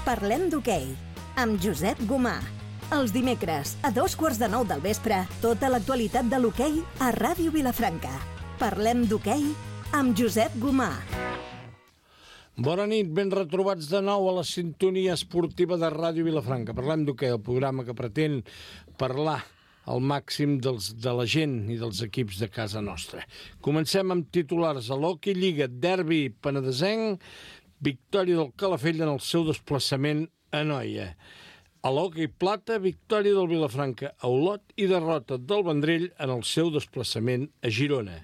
Parlem d'hoquei, amb Josep Gomà. Els dimecres, a 9:15 del vespre, tota l'actualitat de l'hoquei a Ràdio Vilafranca. Parlem d'hoquei amb Josep Gomà. Bona nit, ben retrobats de nou a la sintonia esportiva de Ràdio Vilafranca. Parlem d'hoquei, el programa que pretén parlar al màxim de la gent i dels equips de casa nostra. Comencem amb titulars a l'Hockey Lliga, derbi penedesenc, victòria del Calafell en el seu desplaçament a Noia. A l'Hockey Plata, victòria del Vilafranca a Olot i derrota del Vendrell en el seu desplaçament a Girona.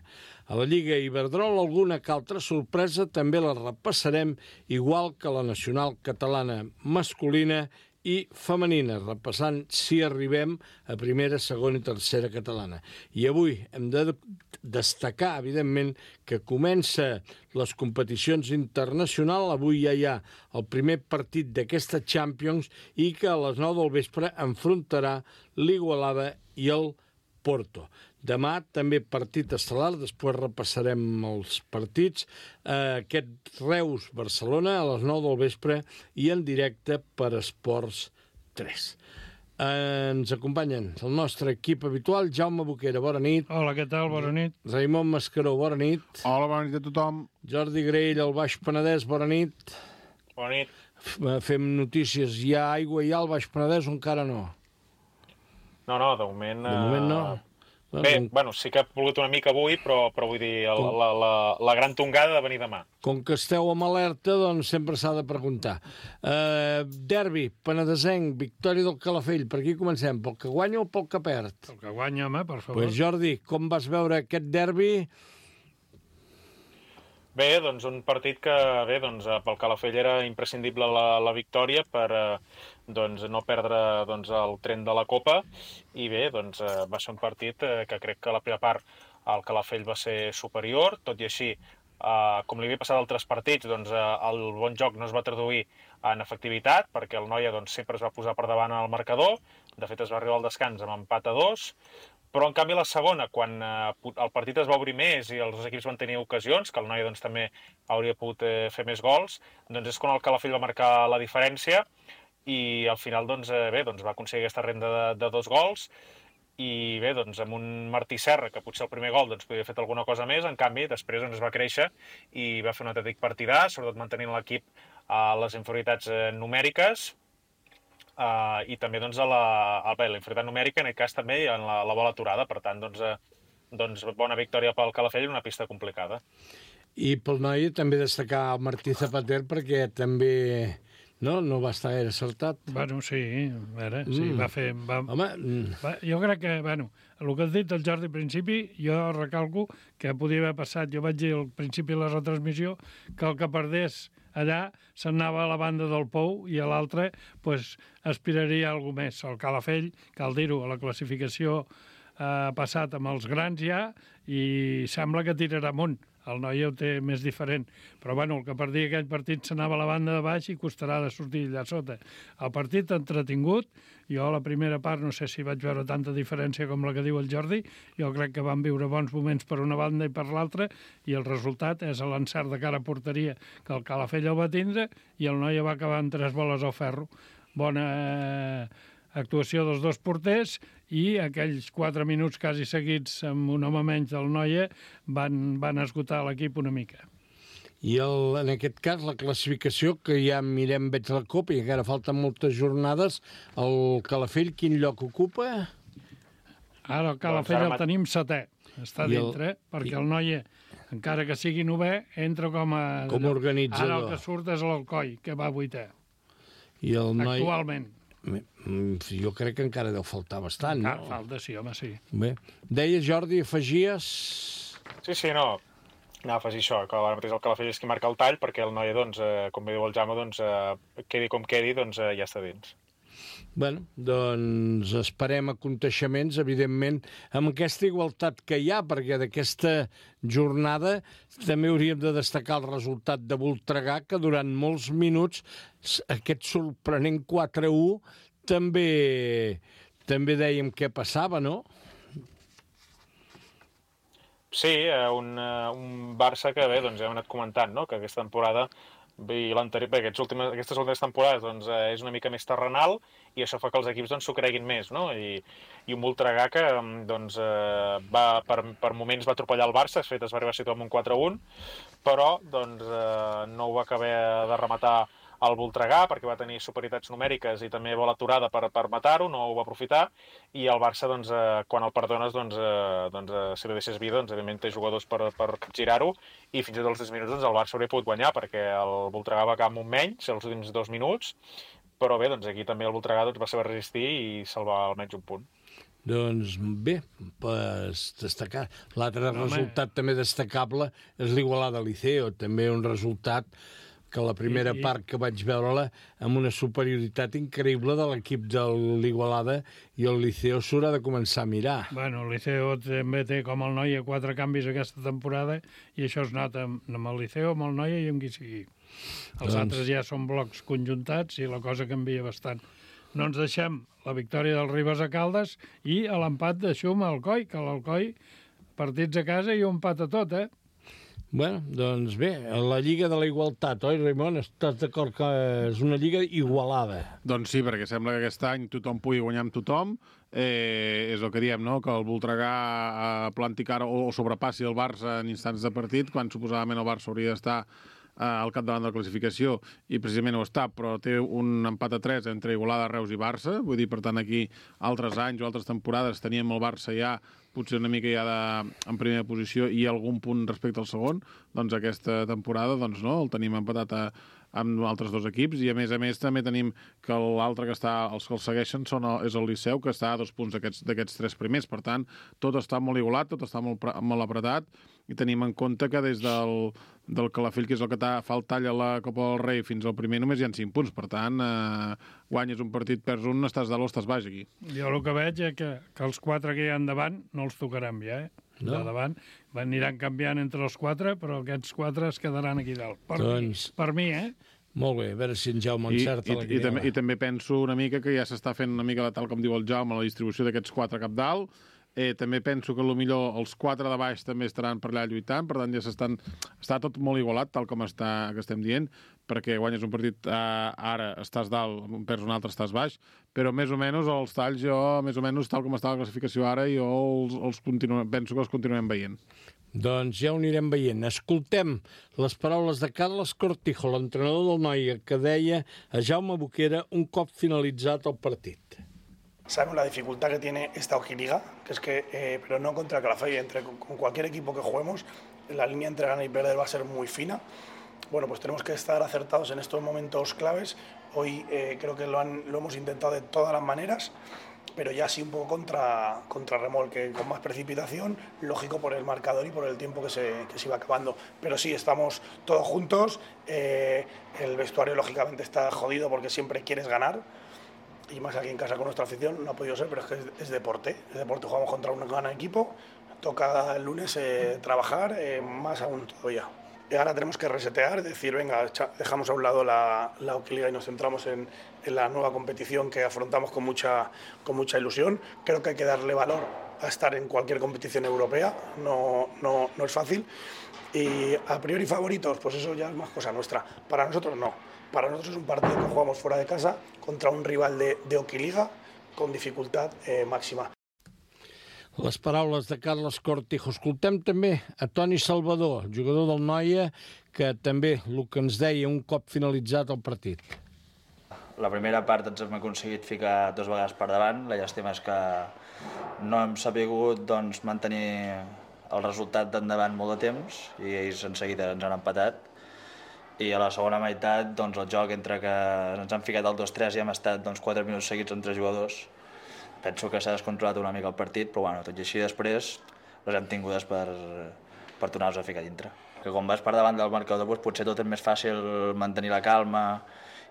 A la Lliga Iberdrola, alguna que altra sorpresa també la repassarem, igual que la nacional catalana masculina i femenina, repassant si arribem a primera, segona i tercera catalana. I avui hem de destacar, evidentment, que comença les competicions internacionals. Avui ja hi ha el primer partit d'aquesta Champions i que a les 9 del vespre enfrontarà l'Igualada i el Porto. Demà també partit estel·lar, després repassarem els partits. Aquest Reus-Barcelona a les 9 del vespre i en directe per Esports 3. Ens acompanyen el nostre equip habitual, Jaume Boquera, bona nit. Hola, què tal? Bona nit. Raimon Mascaró, bona nit. Hola, bona nit a tothom. Jordi Graell, al Baix Penedès, bona nit. Bona nit. Fem notícies. Hi ha aigua ja al Baix Penedès o encara no? No, de moment... De moment no. Bé, bueno, sí que ha plogut una mica avui, però vull dir, la gran tongada de venir demà. Com que esteu amb alerta, doncs sempre s'ha de preguntar. Derbi, penedesenc, victòria del Calafell. Per aquí comencem, pel que guanya o pel que perd? El que guanya, home, per favor. Pues Jordi, com vas veure aquest derbi? Bé, doncs un partit que, pel Calafell era imprescindible la victòria per no perdre el tren de la Copa i bé, va ser un partit que crec que a la primera part el Calafell va ser superior, tot i així, com li havia passat a altres partits, el bon joc no es va traduir en efectivitat perquè el Noia sempre es va posar per davant al marcador, de fet es va arribar al descans amb empat a 2, però en canvi la segona, quan el partit es va obrir més i els dos equips van tenir ocasions, que el Noia també hauria pogut fer més gols, és quan el Calafell va marcar la diferència i al final va aconseguir aquesta renda de 2 gols i bé, amb un Martí Serra, que potser el primer gol podria haver fet alguna cosa més, en canvi després es va créixer i va fer un autèntic partidà, sobretot mantenint l'equip a les inferioritats numèriques, i també la inferioritat numèrica, en aquest cas també en la bola aturada, per tant, bona victòria pel Calafell en una pista complicada. I pel Noia també destacar el Martí Zapater perquè també no va estar gaire acertat. Bueno, sí, a veure, sí, va fer... Jo crec que, el que has dit el Jordi al principi, jo recalco que podia haver passat, jo vaig dir al principi de la retransmissió que el que perdés allà se'n anava a la banda del Pou i a l'altre aspiraria a alguna més. El Calafell, cal dir-ho, a la classificació ha passat amb els grans ja i sembla que tirarà amunt. El Noia ho té més diferent. Però el que perdia aquell partit s'anava a la banda de baix i costarà de sortir allà sota. El partit entretingut, jo a la primera part no sé si vaig veure tanta diferència com la que diu el Jordi, jo crec que van viure bons moments per una banda i per l'altra i el resultat és l'encert de cara a porteria que el Calafell el va tindre i el Noia va acabar amb 3 boles al ferro. Bona actuació dels dos porters i aquells 4 minuts quasi seguits amb un home menys del Noia van esgotar l'equip una mica. I en aquest cas la classificació, que ja mirem, veig la Copa i encara falten moltes jornades, el Calafell quin lloc ocupa? Ara el Calafell el tenim 7è, està dintre, perquè el Noia, encara que sigui 9è, entra com a organitzador. Ara el que surt és l'Alcoi, que va 8è. I el Noia... Actualment. Jo crec que encara deu faltar bastant, no? Falta, sí, home, sí. Bé. Deies, Jordi, afegies... Sí, no. Anava a afegir això, que ara mateix el Calafell és qui marca el tall, perquè el Noia, com bé diu el Jaume, quedi com quedi, ja està dins. Bé, doncs esperem aconteixements, evidentment, amb aquesta igualtat que hi ha, perquè d'aquesta jornada també hauríem de destacar el resultat de Voltregà, que durant molts minuts aquest sorprenent 4-1 també dèiem què passava, no? Sí, un Barça que bé, ja hem anat comentant, no? Que aquesta temporada I l'anterior, bé, aquestes últimes temporades doncs, és una mica més terrenal i això fa que els equips doncs, s'ho creguin més, no? I un Voltregà que doncs, per moments va atropellar el Barça, de fet es va arribar a situar amb un 4-1, però doncs, no ho va acabar de rematar el Voltregà perquè va tenir superioritats numèriques i també bola aturada per matar-ho, no ho va aprofitar, i el Barça, doncs, quan el perdones, si li deixes vida, doncs, evidentment té jugadors per girar-ho, i fins i tot als 10 minuts doncs, el Barça hauria pogut guanyar perquè el Voltregà va acabar amb un menys els últims 2 minuts, però bé, doncs aquí també el Voltregà va saber resistir i salvar almenys un punt. Doncs bé, destacar. L'altre resultat també destacable és l'Igualada Liceo, també un resultat que la primera part que vaig veure-la amb una superioritat increïble de l'equip de l'Igualada i el Liceo s'haurà de començar a mirar. Bueno, el Liceo també té com el Noia 4 canvis aquesta temporada i això es nota amb el Liceo, amb el Noia i amb qui sigui. Els altres ja són blocs conjuntats i la cosa canvia bastant. No ens deixem la victòria del Ribes a Caldes i l'empat de Xum a Alcoi, que l'Alcoi partits a casa i un empat a tot, Bueno, doncs bé, la Lliga de la Igualtat, oi, Raimon? Estàs d'acord que és una lliga igualada? Doncs sí, perquè sembla que aquest any tothom pugui guanyar amb tothom. És el que diem, no?, que el Voltregà planti cara o sobrepassi el Barça en instants de partit, quan suposadament el Barça hauria d'estar al capdavant de la classificació, i precisament ho està, però té un empat a 3 entre Igualada, Reus i Barça. Vull dir, per tant, aquí altres anys o altres temporades teníem el Barça ja potser una mica ja en primera posició i algun punt respecte al segon. Doncs aquesta temporada doncs no, el tenim empatat amb altres dos equips, i a més també tenim que l'altre que està, els que el segueixen és el Liceu, que està a 2 punts d'aquests 3 primers. Per tant, tot està molt igualat, tot està molt apretat, i tenim en compte que des del Calafell, que és el que fa el tall a la Copa del Rei, fins al primer només hi ha 5 punts. Per tant, guanyes un partit, perds un, estàs dalt o estàs baix aquí. Jo el que veig és que els 4 que hi ha endavant no els tocaran ja, No. De davant aniran canviant entre els 4, però aquests 4 es quedaran aquí dalt. Per mi, Molt bé, a veure si en Jaume encerta la quiniela. I també penso una mica que ja s'està fent una mica, tal com diu el Jaume, la distribució d'aquests 4 cap dalt. També penso que potser els 4 de baix també estaran per allà lluitant, per tant ja està tot molt igualat, tal com que estem dient, perquè guanyes un partit ara estàs dalt, perds un altre estàs baix, però més o menys els talls més o menys tal com està la classificació ara, penso que els continuem veient. Doncs ja ho anirem veient. Escoltem les paraules de Carles Cortijo, l'entrenador del Noia, que deia a Jaume Boquera un cop finalitzat el partit. Sabemos la dificultad que tiene esta Ojiliga, que es que, pero no contra Calafell, con cualquier equipo que juguemos, la línea entre ganar y perder va a ser muy fina. Bueno, pues tenemos que estar acertados en estos momentos claves. Hoy creo que lo hemos intentado de todas las maneras, pero ya sí un poco contra remolque, con más precipitación, lógico por el marcador y por el tiempo que se iba acabando. Pero sí, estamos todos juntos, el vestuario lógicamente está jodido porque siempre quieres ganar, y más aquí en casa con nuestra afición, no ha podido ser, pero es que es deporte, jugamos contra un gran equipo, toca el lunes trabajar, más aún todavía. Y ahora tenemos que resetear, decir, venga, dejamos a un lado la Ojiliga y nos centramos en la nueva competición que afrontamos con mucha ilusión. Creo que hay que darle valor a estar en cualquier competición europea, no es fácil. Y a priori favoritos, pues eso ya es más cosa nuestra. Para nosotros no. Para nosotros es un partido que jugamos fuera de casa contra un rival de Ojiliga con dificultad máxima. Les paraules de Carles Cortijo. Escoltem també a Toni Salvador, jugador del Noia, que també el que ens deia un cop finalitzat el partit. La primera part ens hem aconseguit ficar 2 vegades per davant. La llàstima és que no hem sabut mantenir el resultat d'endavant molt de temps i ells en seguida ens han empatat. I a la segona meitat el joc entre que ens han ficat el 2-3 i hem estat 4 minuts seguits amb 3 jugadors. Penso que s'ha descontrolat una mica el partit, però tot i així després les hem tingudes per tornar-nos a ficar dintre. Que quan vas per davant del marcador potser tot és més fàcil mantenir la calma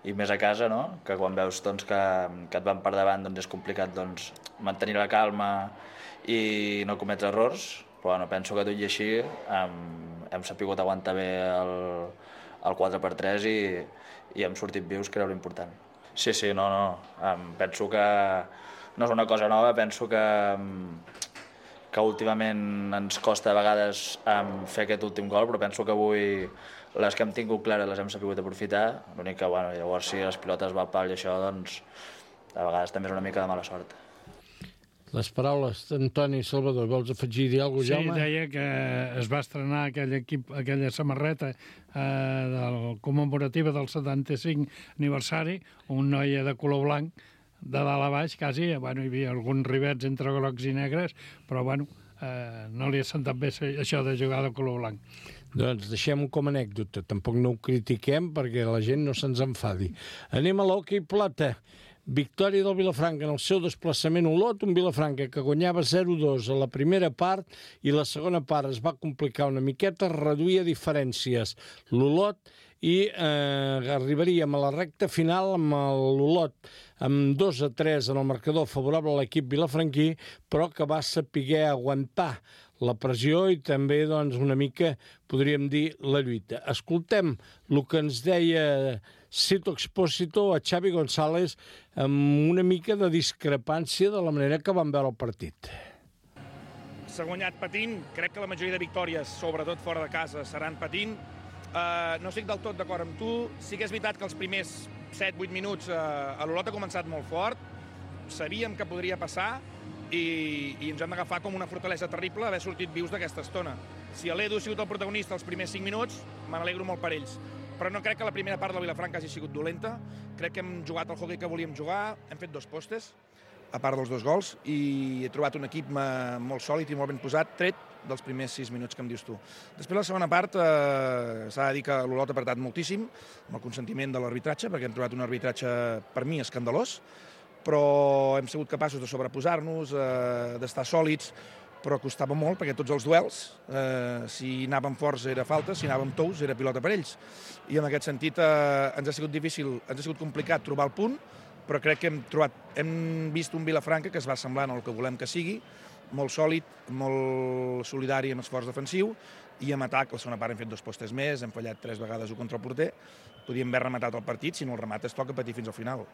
i més a casa, no? Que quan veus que et van per davant és complicat mantenir la calma i no cometre errors, però penso que tot i així hem sabut aguantar bé el 4-3 i hem sortit vius, que era l'important. Sí, penso que no és una cosa nova, penso que que últimament ens costa a vegades fer aquest últim gol, però penso que avui les que hem tingut clares les hem sabut aprofitar. L'únic que, bueno, llavors si les pilotes va al pal i això, doncs a vegades també és una mica de mala sort. Les paraules d'Antoni Salvador, vols afegir alguna cosa, Jaume? Sí, deia que es va estrenar aquella samarreta commemorativa del 75 aniversari, un noia de color blanc, de dalt a baix, quasi, bueno, hi havia alguns rivets entre grocs i negres, però bueno, no li ha sentat bé això de jugar de color blanc. Doncs deixem-ho com a anècdota, tampoc no ho critiquem perquè la gent no se'ns enfadi. Anem a l'hoquei plata. Victòria del Vilafranca en el seu desplaçament a Olot, un Vilafranca que guanyava 0-2 a la primera part i la segona part es va complicar una miqueta, reduïa diferències l'Olot i arribaríem a la recta final amb l'Olot amb 2-3 en el marcador favorable a l'equip vilafranquí, però que va saber aguantar la pressió i també doncs, una mica, podríem dir, la lluita. Escoltem el que ens deia Sito Expósito a Xavi González amb una mica de discrepància de la manera que van veure el partit. S'ha guanyat patint, crec que la majoria de victòries, sobretot fora de casa, seran patint. No estic del tot d'acord amb tu, sí que és veritat que els primers 7-8 minuts l'Olot ha començat molt fort, sabíem que podria passar i ens hem d'agafar com una fortalesa terrible haver sortit vius d'aquesta estona. Si l'Edu ha sigut el protagonista els primers 5 minuts, me n'alegro molt per ells. Però no crec que la primera part del Vilafranca hagi sigut dolenta. Crec que hem jugat el hoquei que volíem jugar, hem fet 2 postes, a part dels 2 gols, i he trobat un equip molt sòlid i molt ben posat, tret dels primers 6 minuts que em dius tu. Després, la segona part, s'ha de dir que l'Olot ha apretat moltíssim, amb el consentiment de l'arbitratge, perquè hem trobat un arbitratge, per mi, escandalós, però hem sigut capaços de sobreposar-nos, d'estar sòlids, però costava molt, perquè tots els duels, si anàvem forts era falta, si anàvem tous era pilota per ells. I en aquest sentit ens ha sigut difícil, ens ha sigut complicat trobar el punt, però crec que hem vist un Vilafranca que es va semblant al que volem que sigui, molt sòlid, molt solidari en esforç defensiu, i en atac, la segona part hem fet 2 postes més, hem fallat 3 vegades contra el porter, podíem haver rematat el partit, si no el remates toca patir fins al final.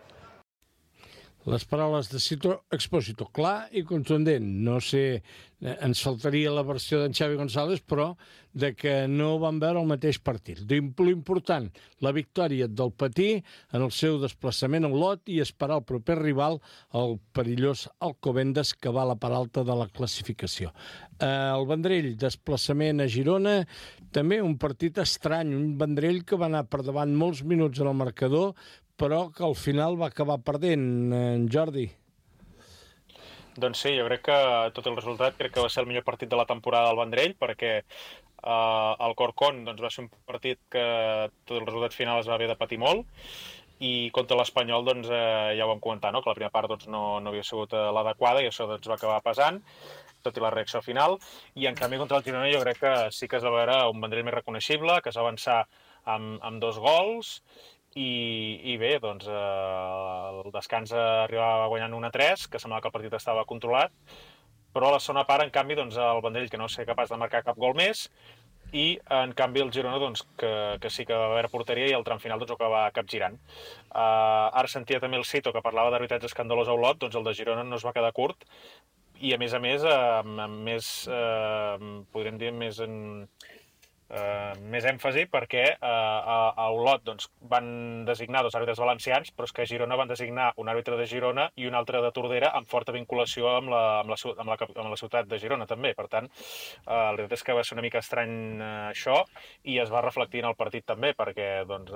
Les paraules de Sito Expósito, clar i contundent. No sé, ens faltaria la versió d'en Xavi González, però de que no van veure el mateix partit. L'important, la victòria del Patí en el seu desplaçament a Olot i esperar el proper rival, el perillós Alcobendas, que va a la part alta de la classificació. El Vendrell, desplaçament a Girona, també un partit estrany, un Vendrell que va anar per davant molts minuts en el marcador, però que al final va acabar perdent, en Jordi. Doncs sí, jo crec que tot el resultat crec que va ser el millor partit de la temporada del Vendrell, perquè el Corcón doncs, va ser un partit que tot el resultat final es va haver de patir molt, i contra l'Espanyol doncs, ja ho vam comentar, no? Que la primera part doncs, no havia sigut l'adequada i això doncs, va acabar pesant, tot i la reacció final, i en canvi contra el Girona jo crec que sí que es va veure un Vendrell més reconeixible, que es va avançar amb 2 gols, i bé, doncs, el descans arribava guanyant 1-3, que semblava que el partit estava controlat, però a la segona part, en canvi, doncs, el Vendrell que no va ser capaç de marcar cap gol més, i en canvi el Girona doncs, que sí que va haver porteria i el tram final doncs, ho acaba capgirant. Ara sentia també el Cito que parlava d'arbitratge escandalós a Olot, doncs el de Girona no es va quedar curt, i a més, podríem dir, més èmfasi perquè a Olot doncs, van designar 2 àrbitres valencians, però és que a Girona van designar un àrbitre de Girona i un altre de Tordera amb forta vinculació amb la ciutat de Girona també. Per tant, la veritat és que va ser una mica estrany això i es va reflectir en el partit també perquè doncs,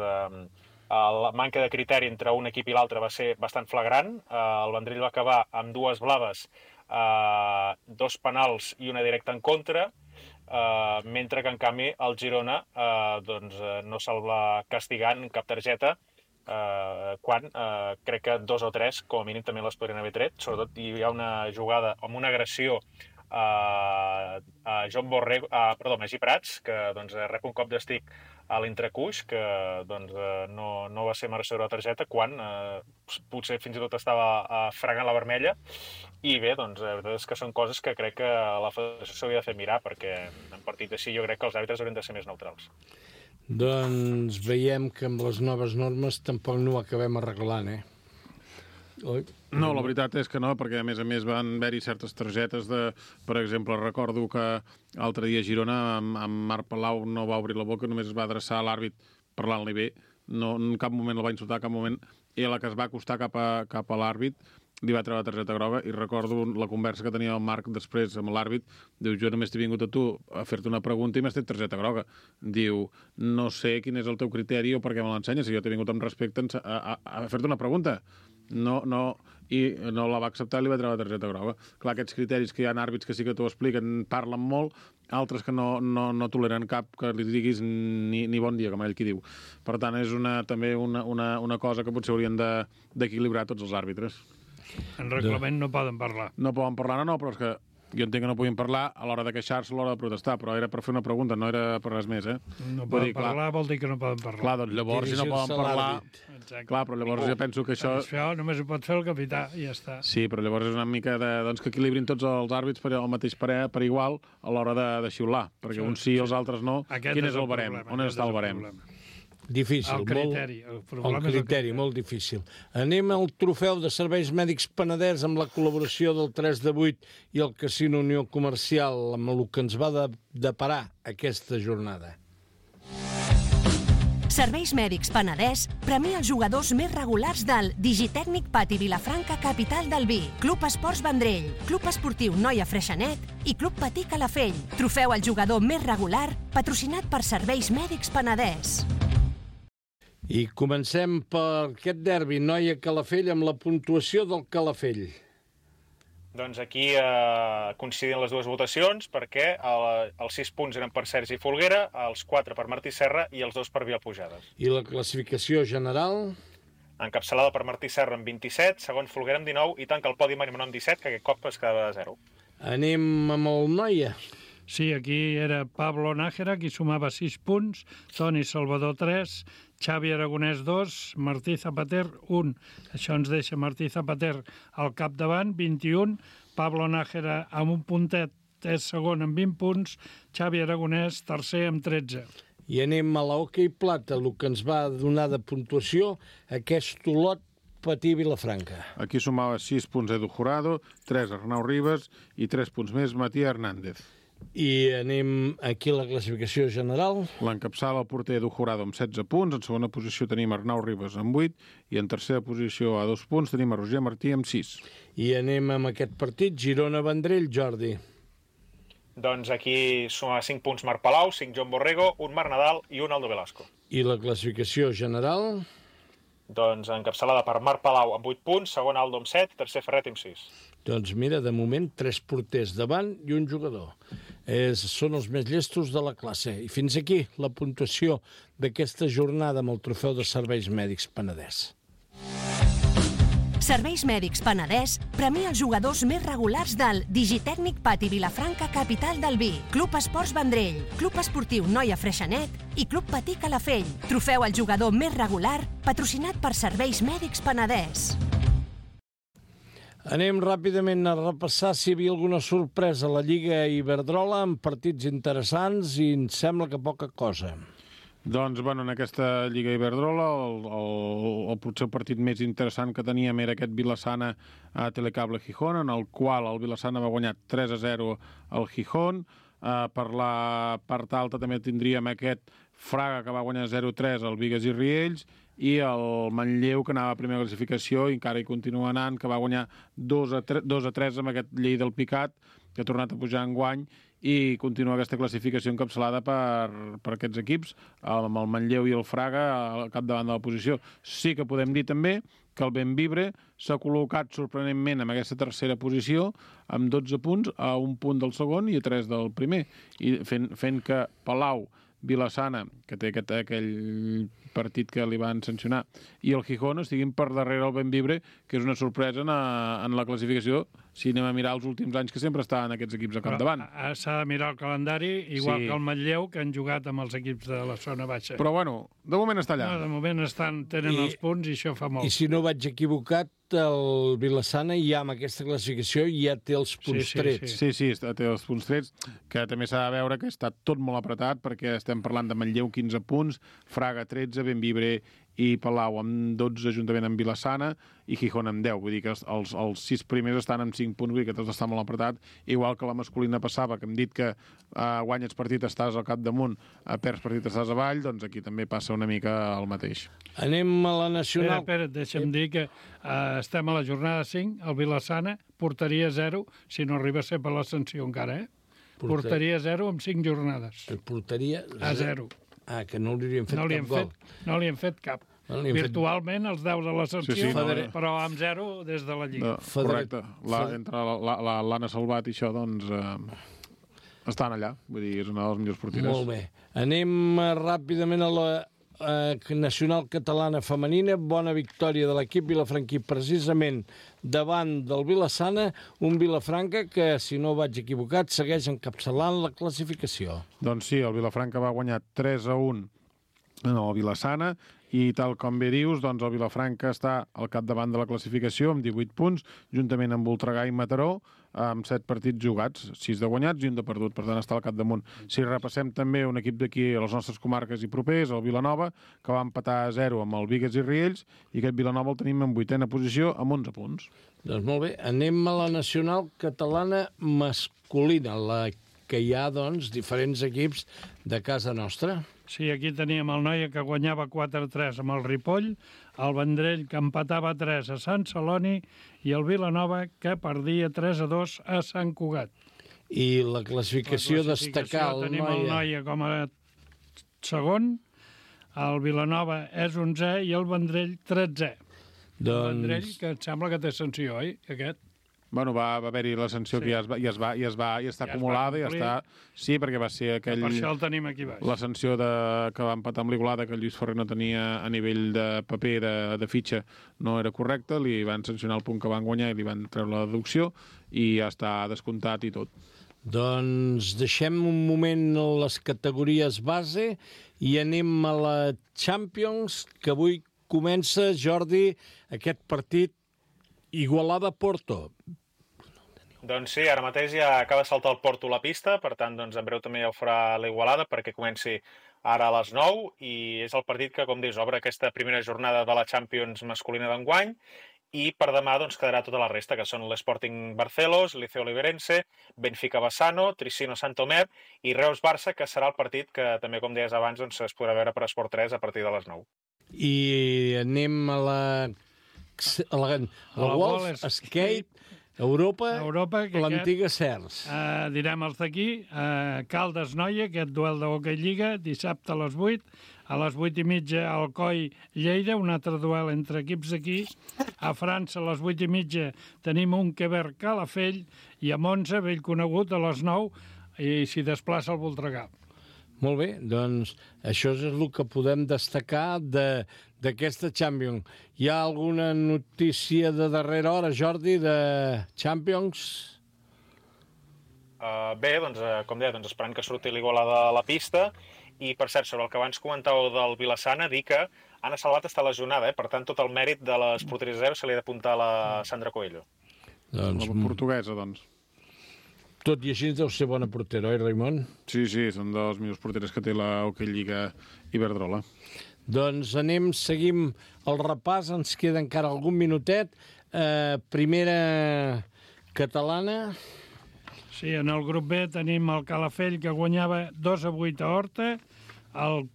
la manca de criteri entre un equip i l'altre va ser bastant flagrant. El Vendrell va acabar amb 2 blaves, 2 penals i una directa en contra, mentre que en canvi el Girona doncs, no se'l va castigar en cap targeta, quan crec que 2 o 3 com a mínim també les podrien haver tret. Sobretot hi ha una jugada amb una agressió a Magí Prats, que doncs, rep un cop d'estic a l'entrecuix, que doncs, no va ser mereixedor de targeta, quan potser fins i tot estava fregant la vermella. I bé, doncs, la veritat és que són coses que crec que la federació s'hauria de fer mirar, perquè en partit així jo crec que els àrbitres haurien de ser més neutrals. Doncs veiem que amb les noves normes tampoc no ho acabem arreglant, No, la veritat és que no, perquè a més van haver-hi certes targetes de... Per exemple, recordo que l'altre dia a Girona amb Marc Palau no va obrir la boca, només es va adreçar a l'àrbit parlant-li bé. No, en cap moment el va insultar, cap moment. I a la que es va acostar cap a l'àrbit li va treure la targeta groga i recordo la conversa que tenia el Marc després amb l'àrbit. Diu, jo només t'he vingut a tu a fer-te una pregunta i m'has tret targeta groga. Diu, no sé quin és el teu criteri o per què me l'ensenyes, si jo t'he vingut amb respecte a fer-te una pregunta. No, i no la va acceptar i li va treure la targeta groga. Clar, aquests criteris que hi ha àrbits que sí que t'ho expliquen, parlen molt, altres que no toleren cap que li diguis ni bon dia, com ell qui diu. Per tant, és també una cosa que potser haurien d'equilibrar tots els àrbitres. En reglament no poden parlar. No poden parlar, no, però és que jo entenc que no puguin parlar a l'hora de queixar-se, a l'hora de protestar, però era per fer una pregunta, no era per res més, No poden parlar, vol dir que no poden parlar. Clar, doncs llavors, si no poden parlar... Clar, però llavors jo penso que això... Això només ho pot fer el capità i ja està. Sí, però llavors és una mica que equilibrin tots els àrbits per al mateix per igual a l'hora de xiular, perquè uns sí i els altres no. Quin és el barem? On està el barem? Difícil. El criteri, molt difícil. Anem al trofeu de serveis mèdics Penedès amb la col·laboració del 3 de 8 i el Casino Unió Comercial, amb el que ens va deparar aquesta jornada. Serveis Mèdics Penedès premia els jugadors més regulars del Digitècnic Pati Vilafranca, capital del vi, Club Esports Vendrell, Club Esportiu Noia Freixenet i Club Patí Calafell. Trofeu al jugador més regular, patrocinat per Serveis Mèdics Penedès. I comencem per aquest derbi, Noia Calafell, amb la puntuació del Calafell. Doncs aquí coincidien les dues votacions perquè els 6 punts eren per Sergi Folguera, els 4 per Martí Serra i els 2 per Vilapujades. I la classificació general? Encapçalada per Martí Serra amb 27, segon Folguera amb 19 i tanca el podi Marimón amb 17, que aquest cop es quedava a 0. Anem amb el Noia. Sí, aquí era Pablo Nájera, qui sumava 6 punts, Toni Salvador 3, Xavi Aragonès 2, Martí Zapater 1. Això ens deixa Martí Zapater al capdavant, 21, Pablo Nájera amb un puntet és segon amb 20 punts, Xavi Aragonès tercer amb 13. I anem a l'hoquei plata, el que ens va donar de puntuació aquest Olot Patí Vilafranca. Aquí sumava 6 punts Edu Jurado, 3 Arnau Ribas i 3 punts més Matías Hernández. I anem aquí a la classificació general. L'encapçala el porter Edu Jurado amb 16 punts, en segona posició tenim Arnau Ribas amb 8 i en tercera posició a 2 punts tenim a Roger Martí amb 6. I anem amb aquest partit, Girona-Vendrell, Jordi. Doncs aquí suma 5 punts Marc Palau, 5 Joan Borrego, un Marc Nadal i un Aldo Velasco. I la classificació general? Doncs encapçalada per Marc Palau amb 8 punts, segon Aldo amb 7, tercer Ferret amb 6. Doncs mira, de moment 3 porters davant i un jugador. Són els més llestos de la classe. I fins aquí la puntuació d'aquesta jornada amb el trofeu de Serveis Mèdics Penedès. Serveis Mèdics Penedès premia els jugadors més regulars del Digitècnic Pati Vilafranca, capital del vi, Club Esports Vendrell, Club Esportiu Noia Freixenet i Club Patí Calafell. Trofeu al jugador més regular, patrocinat per Serveis Mèdics Penedès. Anem ràpidament a repassar si hi havia alguna sorpresa a la Lliga Iberdrola amb partits interessants i em sembla que poca cosa. Doncs, bueno, en aquesta Lliga Iberdrola el potser partit més interessant que teníem era aquest Vilassana a Telecable Gijón, en el qual el Vilassana va guanyar 3-0 al Gijón. Per la part alta també tindríem aquest Fraga, que va guanyar 0-3 al Bigues i Riells, i el Manlleu, que anava a primera classificació i encara hi continua anant, que va guanyar 2-3 amb aquest Llei del Picat, que ha tornat a pujar enguany, i continua aquesta classificació encapçalada per aquests equips, amb el Manlleu i el Fraga al capdavant de la posició. Sí que podem dir també que el Bembibre s'ha col·locat sorprenentment en aquesta tercera posició, amb 12 punts, a un punt del segon i a 3 del primer, i fent que Palau, Vilassana, que té aquell partit que li van sancionar, i el Gijón estiguin per darrere el Bembibre, que és una sorpresa en la classificació, si anem a mirar els últims anys, que sempre estaven aquests equips a capdavant. S'ha de mirar el calendari, igual que el Manlleu, que han jugat amb els equips de la zona baixa. Però bueno, de moment està allà. No, de moment tenen els punts i això fa molt. I si no vaig equivocat, el Vilassana ja amb aquesta classificació ja té els punts trets. Sí, té els punts trets, que també s'ha de veure que està tot molt apretat, perquè estem parlant de Manlleu 15 punts, Fraga 13, Bembibre i Palau amb 12, juntament amb Vila-sana, i Gijón amb 10. Vull dir que els 6 primers estan amb 5 punts, vull dir que tot està molt apretat. Igual que la masculina passava, que hem dit que guanyes partit, estàs al capdamunt, perds partit, estàs avall, doncs aquí també passa una mica el mateix. Anem a la nacional. Espera, deixa'm dir que estem a la jornada 5, el Vila-sana, portaria 0, si no arriba a ser per l'ascensió encara, Portaria 0 amb 5 jornades. Portaria a 0. Que no li havien fet cap gol. No li hem fet cap. Virtualment els 10 de l'ascensió, però amb 0 des de la Lliga. Correcte. Entre l'Anna Salvat i això, doncs, estan allà. Vull dir, és una de les millors porteres. Molt bé. Anem ràpidament a la nacional catalana femenina. Bona victòria de l'equip vilafranquí, precisament davant del Vila-sana, un Vilafranca que, si no vaig equivocat, segueix encapçalant la classificació. Doncs sí, el Vilafranca va guanyar 3-1 en el Vila-sana, i tal com bé dius, doncs el Vilafranca està al capdavant de la classificació amb 18 punts, juntament amb Voltregà i Mataró, amb 7 partits jugats, 6 de guanyats i 1 de perdut, per tant està al capdamunt. Si repassem també un equip d'aquí a les nostres comarques i propers, el Vilanova, que va empatar a 0 amb el Bigues i Riells, i aquest Vilanova el tenim en 8a posició amb 11 punts. Doncs molt bé, anem a la nacional catalana masculina, la que hi ha, doncs, diferents equips de casa nostra. Sí, aquí teníem el Noia que guanyava 4-3 amb el Ripoll, el Vendrell que empatava 3 a Sant Celoni i el Vilanova que perdia 3-2 a Sant Cugat. I la classificació destacar el Noia. Tenim el Noia com a segon, el Vilanova és 11è i el Vendrell 13è. El Vendrell, que em sembla que té sanció, oi, aquest? Bueno, va haver-hi la sanció que ja està acumulada, ja està... Sí, perquè va ser aquell... Per això el tenim aquí baix. La sanció que va empatar amb l'Igualada, que el Lluís Ferrer no tenia a nivell de paper, de fitxa, no era correcte, li van sancionar el punt que van guanyar i li van treure la deducció i ja està descomptat i tot. Doncs deixem un moment les categories base i anem a la Champions, que avui comença, Jordi, aquest partit Igualada-Porto. Doncs sí, ara mateix ja acaba de saltar el Porto a la pista, per tant, doncs, en breu també ja ho farà l'Igualada perquè comenci ara a les 9 i és el partit que, com dius, obre aquesta primera jornada de la Champions masculina d'enguany i per demà doncs, quedarà tota la resta, que són l'Sporting Barcelos, Liceo Oliverense, Benfica Bassano, Tricino Santomer i Reus Barça, que serà el partit que també, com deies abans, doncs, es podrà veure per Esport 3 a partir de les 9. I anem a la Wolf Skate Europa l'antiga Cers. Direm els d'aquí, Caldes Noia, aquest duel d'Hockey Lliga, dissabte a les 8, a les 8:30 Alcoi Lleida, un altre duel entre equips d'aquí. A França, a les 8:30, tenim un Queber Calafell i a Monza, vell conegut, a les 9, i s'hi desplaça el Voltregà. Molt bé, doncs això és el que podem destacar d'aquesta Champions. Hi ha alguna notícia de darrera hora, Jordi, de Champions? Bé, doncs, com deia, esperant que surti l'Igualada a la pista. I, per cert, sobre el que abans comentàveu del Vila-sana, dir que Anna Salvat està lesionada, per tant, tot el mèrit de les porteries 0 se li ha d'apuntar a la Sandra Coelho. Doncs, la portuguesa, doncs. Tot i així deu ser bona portera, oi, Raimon? Sí, són dels millors porteres que té la Hockey Lliga Iberdrola. Doncs seguim el repàs, ens queda encara algun minutet. Primera catalana. Sí, en el grup B tenim el Calafell, que guanyava 2-8 a Horta, el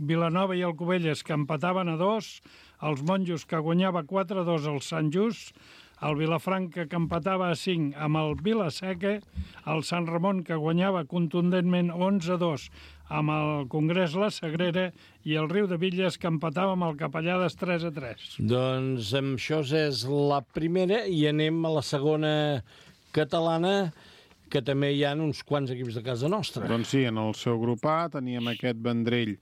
Vilanova i el Cubelles, que empataven a 2, els Monjos, que guanyava 4-2 al Sant Just, el Vilafranca, que empatava a 5 amb el Vilaseca, el Sant Ramon, que guanyava contundentment 11-2 amb el Congrés La Sagrera, i el Riu de Villes, que empatava amb el Capellades 3-3. Doncs amb això és la primera i anem a la segona catalana, que també hi ha uns quants equips de casa nostra. Doncs sí, en el seu grup A teníem aquest Vendrell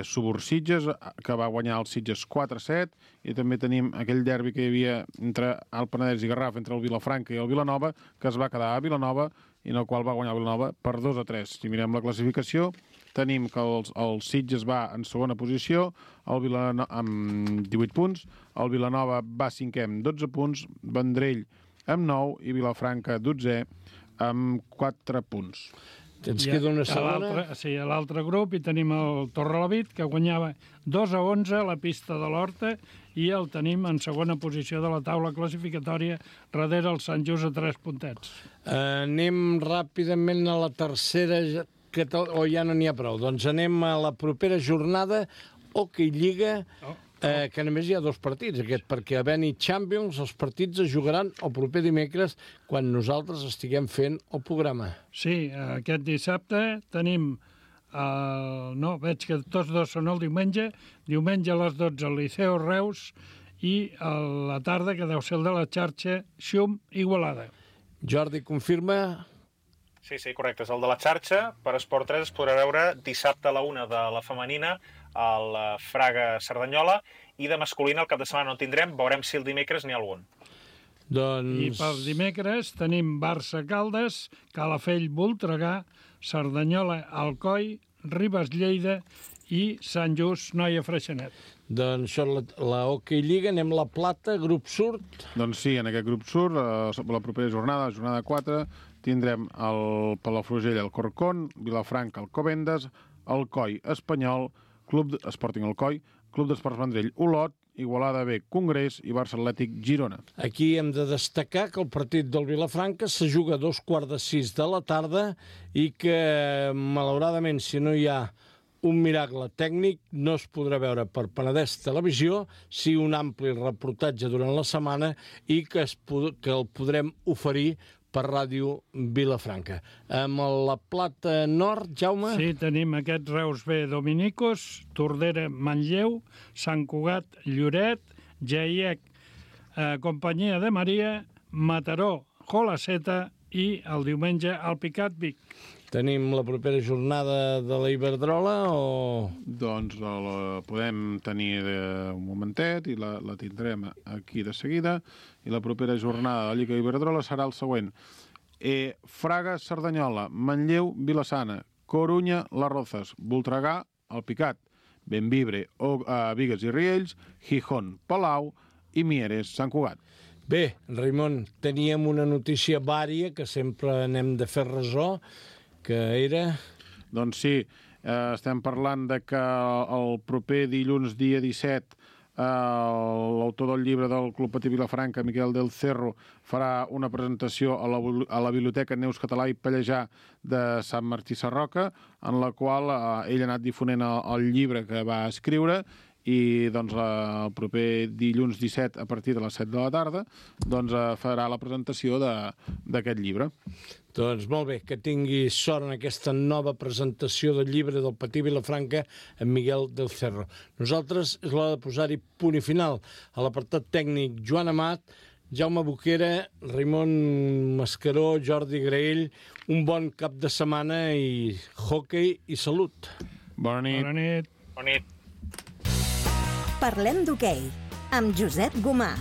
Subursitges, que va guanyar el Sitges 4-7, i també tenim aquell derbi que hi havia entre el Penedès i Garraf, entre el Vilafranca i el Vilanova, que es va quedar a Vilanova i en el qual va guanyar el Vilanova per 2-3. Si mirem la classificació, tenim que el Sitges va en segona posició, el Vilanova amb 18 punts, el Vilanova va cinquè amb 12 punts, Vendrell amb 9 i Vilafranca 12è amb 4 punts. Ens queda una segona. Sí, a l'altre grup hi tenim el Torrelavit, que guanyava 2-11 a la pista de l'Horta, i el tenim en segona posició de la taula classificatòria, darrere el Sant Just a 3 puntets. Anem ràpidament a la tercera, o ja no n'hi ha prou. Doncs anem a la propera jornada, Hockey Lliga, que només hi ha 2 partits, perquè a Beni Champions els partits es jugaran el proper dimecres quan nosaltres estiguem fent el programa. Sí, aquest dissabte tenim... No, veig que tots dos són el diumenge. Diumenge a les 12 al Liceu Reus i a la tarda, que deu ser el de la xarxa, Xum Igualada. Jordi, confirma... Sí, correcte, és el de la xarxa. Per Esport 3 es podrà veure dissabte a la 1 de la femenina al Fraga Cerdanyola, i de masculina el cap de setmana no tindrem, veurem si el dimecres n'hi ha algun. I pel dimecres tenim Barça Caldes, Calafell Voltregà, Cerdanyola Alcoi, Ribes Lleida i Sant Just Noia Freixenet. Doncs això és la Hockey Lliga. Anem a la Plata, grup surt. Doncs sí, en aquest grup surt, la propera jornada 4, tindrem el Palafrugell, el Corcón, Vilafranca, el Covendes, Alcoi Espanyol, Club Sporting Alcoi, Club d'Esports Vendrell, Olot, Igualada B, Congrés i Barça Atlètic, Girona. Aquí hem de destacar que el partit del Vilafranca se juga a 5:45 de la tarda i que, malauradament, si no hi ha un miracle tècnic, no es podrà veure per Penedès Televisió, sí un ampli reportatge durant la setmana i que el podrem oferir per Ràdio Vilafranca. Amb la Plata Nord, Jaume? Sí, tenim aquest Reus B Dominicos, Tordera Manlleu, Sant Cugat Lloret, Jaiec Companyia de Maria, Mataró Jolaceta i el diumenge Alpicat Vic. Tenim la propera jornada de la Iberdrola o...? Doncs la podem tenir un momentet i la tindrem aquí de seguida. I la propera jornada de la Lliga Iberdrola serà el següent. Fraga, Cerdanyola, Manlleu, Vilassana, Corunya, Les Rozas, Voltregà, Alpicat, Bembibre, Bigues i Riells, Gijón, Palau i Mieres, Sant Cugat. Bé, Raimon, teníem una notícia vària que sempre anem de fer ressò, que era... Doncs sí, estem parlant de que el proper dilluns, dia 17, l'autor del llibre del Club Patí Vilafranca, Miquel del Cerro, farà una presentació a la Biblioteca Neus Català i Pallejà de Sant Martí Sarroca, en la qual ell ha anat difonent el llibre que va escriure, i doncs el proper dilluns 17 a partir de les 7 de la tarda doncs farà la presentació d'aquest llibre. Doncs molt bé, que tingui sort en aquesta nova presentació del llibre del Patí Vilafranca amb Miguel del Cerro. Nosaltres és l'hora de posar-hi punt i final. A l'apartat tècnic, Joan Amat, Jaume Boquera, Raimon Mascaró, Jordi Graell, un bon cap de setmana i hockey i salut. Bona nit. Bona nit. Bona nit. Parlem d'hoquei, amb Josep Gomà.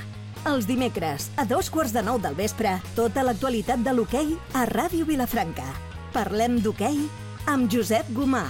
Els dimecres, a 8:45 del vespre, tota l'actualitat de l'hoquei a Ràdio Vilafranca. Parlem d'hoquei amb Josep Gomà.